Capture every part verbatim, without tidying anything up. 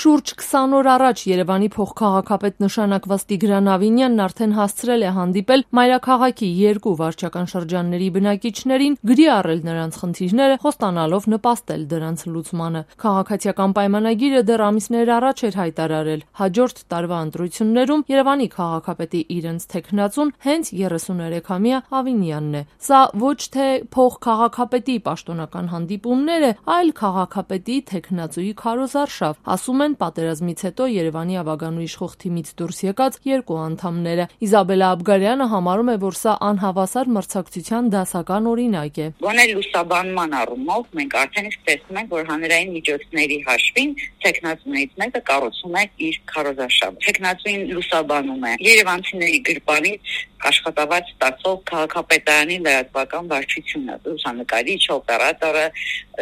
Շուրջ քսան օր առաջ Երևանի փոխքաղաքապետ նշանակված Տիգրան Ավինյանն արդեն հասցրել է հանդիպել մայրաքաղաքի երկու վարչական շրջանների բնակիչներին, գրի առել նրանց խնդիրները, խոստանալով նպաստել դրանց լուծմանը։ Քաղաքացիական պայմանագիրը դեռ ամիսներ առաջ էր հայտարարել։ Հաջորդ տարվա ընտրություններում Երևանի քաղաքապետի իրենց թեկնածուն հենց երեսուներեքամյա Ավինյանն է։ Սա ոչ թե փոխքաղաքապետի պաշտոնական հանդիպումներ է, այլ քաղաքապետի թեկնածուի քարոզարշավ, ասում են պատերազմից հետո Երևանի ավագանու իշխող թիմից դուրս եկած երկու անդամները։ Իզաբելլա Աբգարյանը համարում է, որ սա անհավասար մրցակցության դասական օրինակ է։ Գոնե լուսաբանման առումով մենք արդեն իսկ տեսնում ենք, որ հանրային միջոցների հաշվին թեկնածուներից մեկը կառուցում է իր քարոզարշավը։ Թեկնածուին լուսաբանում է երևանցիների գրպանից աշխատավարձ ստացող քաղաքապետարանի լրատվական վարչությունը, լուսանկարիչ, օպերատորը,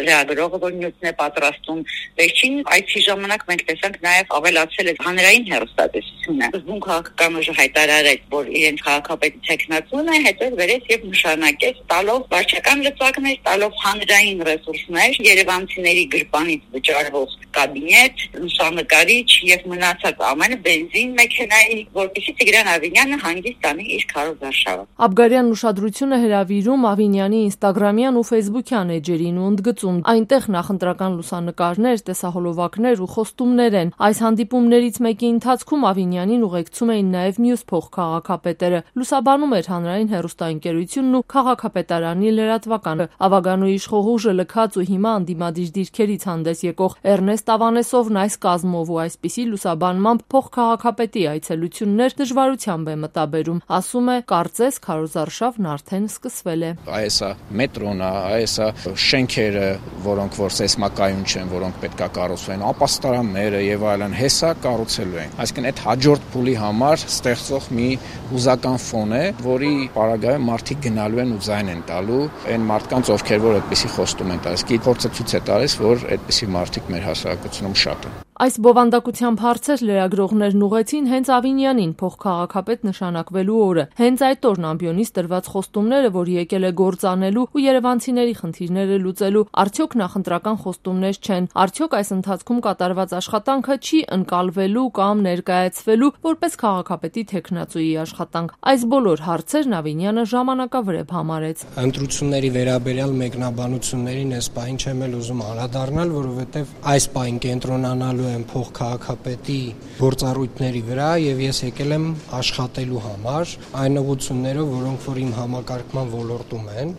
լրագրողը, որ նյութն է պատրաստում։ Վերջին այցի ժամանակ մենք տեսանք նաև ավելացել է հանրային հեռուստատեսությունը։ Զգում քաղաքական ուժը հայտարարեց, որ իրենց քաղաքապետի թեկնածուն է, հետո վերեց եւ նշանակեց տալով վարչական լծակներ, տալով հանրային ռեսուրսներ, երևանցիների գրպանից վճարվող կաբինետ, լուսանկարիչ եւ մնացած ամենը բենզին մեքենայի, որպեսզի Տիգրան Ավինյանը հանգիստ տանի իր քարոզարշավը։ Աբգարյանն ուշադրությունը հրավիրում Ավինյանի ինստագրամյան ու ֆեյսբուքյան էջերին ու ընդգծում. այնտեղ նախընտրական լուսանկարներ, տեսահոլովակներ ու խոստումներ են։ Այս հանդիպումներից մեկի ընթացքում Ավինյանին ուղեկցում էին նաև մյուս փոխքաղաքապետերը։ Լուսաբանում էր հանրային հեռուստաընկերությունն ու քաղաքապետարանի լրատվականը։ Ավագանու իշխող ուժը լքած ու հիմա անդիմադիր դիրքերից հանդես եկող Էրնեստ Ավանեսովն այս կազմով ու այսպիսի լուսաբանմամբ փոխքաղաքապետի այցելություններ դժվարությամբ է մտաբերում։ Ասում է, կարծես քարոզարշավն արդեն սկսվել է։ Այս է մետրոն, այս է շենքերը, որոնք որ սեյսմակայուն չեն, որոնք պետք է կառուցվեն, ապաստարանները եւ այլն, հեսա կառուցելու են։ Այսինքն այդ հաջորդ փուլի համար ստեղծող մի հուզական ֆոն է, որի պարագայում մարդիկ գնալու են ու ձայն են տալու այն մարդկանց, ովքեր որ այդպիսի խոստում են տալիս։ Գիտի փորձը ցույց է տալիս, որ այդպիսի մարդիկ մեր հասարակությունում շատ են։ Այս բովանդակությամբ հարցեր լրագրողներն ուղեցին հենց Ավինյանին փոխքաղաքապետ նշանակվելու օրը։ Հենց այդ օրն ամբիոնից տրված խոստումները, որ եկել է գործանելու ու երևանցիների խնդիրները լուծելու, արդյոք նախընտրական խոստումներ չեն։ Արդյոք այս ընթացքում կատարված աշխատանքը չի ընկալվելու կամ ներկայացվելու որպես քաղաքապետի թեկնածուի աշխատանք։ Այս բոլոր հարցերն Ավինյանը ժամանակավրեպ համարեց։ Ընտրությունների վերաբերյալ մեկնաբանություններին այս պահին չեմ էլ ուզում անդրադառնալ, որովհետև այս պահին կենտրոնանալու եմ փոխքաղաքապետի գործառույթների վրա եւ ես եկել եմ աշխատելու համար այն ուղղություններով, որոնք որ իմ համակարգման ոլորտում են։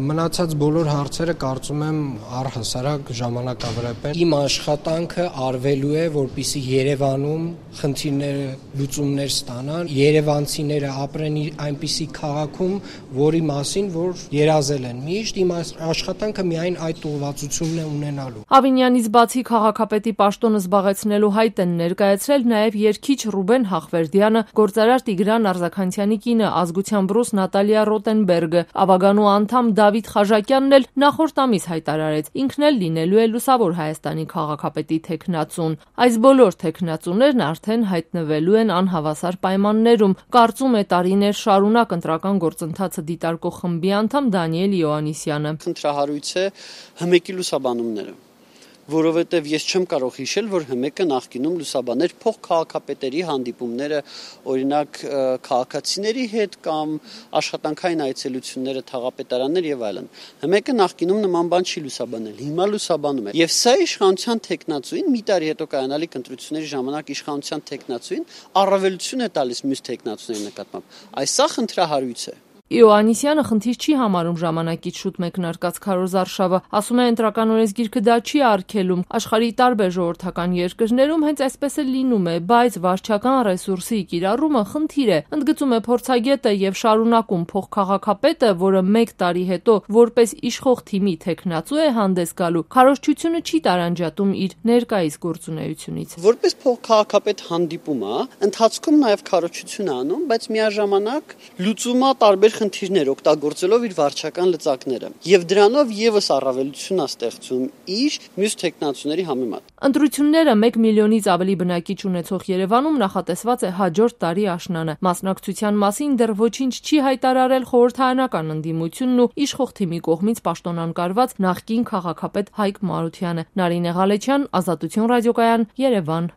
Մնացած բոլոր հարցերը կարծում եմ առհասարակ ժամանակավրեպ են։ Իմ աշխատանքը արվելու է, որպեսզի Երևանում խնդիրները լուծումներ ստանան, երևանցիները ապրեն այնպիսի քաղաքում, որի մասին որ երազել են միշտ, իմ աշխատանքը միայն այդ ուղղվածությունն է ունենալու։ Ավինյանից բացի քաղաքապետի պաշտոնը զբաղեցնելու հայտ են ներկայացրել նաև երգիչ Ռուբեն Հախվերդյանը, գործարար Տիգրան Արձաքանցյանի կինը, ազգությամբ ռուս Նատալիա Ռոտենբերգը, ավագանու անդամ Դավիթ Խաժակյանն էլ նախորդ ամիս հայտարարեց, ինքն էլ լինելու է Լուսավոր Հայաստանի քաղաքապետի թեկնածուն։ Այս բոլոր թեկնածուներն արդեն հայտնվելու են անհավասար պայմաններում, կարծում է տարիներ շարունակ ընտրական գործընթացը դիտարկող խմբի անդամ Դանիել Յոհաննիսյանը։ Խնդրահարույց է հմեկի լուսաբանումները, որովհետև ես չեմ կարող հիշել, որ հմեկը նախկինում լուսաբաներ փոխքաղաքապետերի հանդիպումները, օրինակ քաղաքացիների հետ կամ աշխատանքային այցելությունները, թաղապետարաններ եւ այլն։ Հմեկը նախկինում նման բան չի լուսաբանել, հիմա լուսաբանում է։ Եվ սա իշխանության թեկնածուին մի տարի հետո կայանալիք ընտրությունների ժամանակ իշխանության թեկնածուին առավելություն է տալիս մյուս թեկնածուների նկատմամբ։ Այս սա խնդրահարույց է։ Յոհաննիսյանը խնդիր չի համարում ժամանակից շուտ մեկնարկած քարոզարշավը, ասում է ընտրական օրենսգիրքը դա չի արգելում, աշխարհի տարբեր ժողովրդական երկրներում հենց այսպես էլ լինում է, բայց վարչական ռեսուրսի կիրառումը խնդիր է, ընդգծում է փորձագետը եւ շարունակում փոխքաղաքապետը, որը մեկ տարի հետո որպես իշխող թիմի թեկնածու է հանդես գալու, քարոզչությունը չի տարանջատում իր ներկայիս գործունեությունից։ Որպես փոխքաղաքապետ հանդիպում է, ընթացքում նաեւ քարոզչություն անում, բայց միաժամանակ լուծումա տարբեր խնդիրներ օգտագործելով իր վարչական լծակները։ Եվ դրանով եւս առավելություն է ստեղծում իր մյուս տեխնացուների համեմատ։ Ընտրությունները մեկ միլիոնից ավելի բնակիչ ունեցող Երևանում նախատեսված է հաջորդ տարի աշնանը։ Մասնակցության մասին դեռ ոչինչ չի հայտարարել խորհրդարանական ընդդիմությունն ու իշխող թիմի կողմից պաշտոնանկարված նախկին քաղաքապետ Հայկ Մարությանը։ Նարինե Ղալեչյան, Ազատություն ռադիոկայան, Երևան։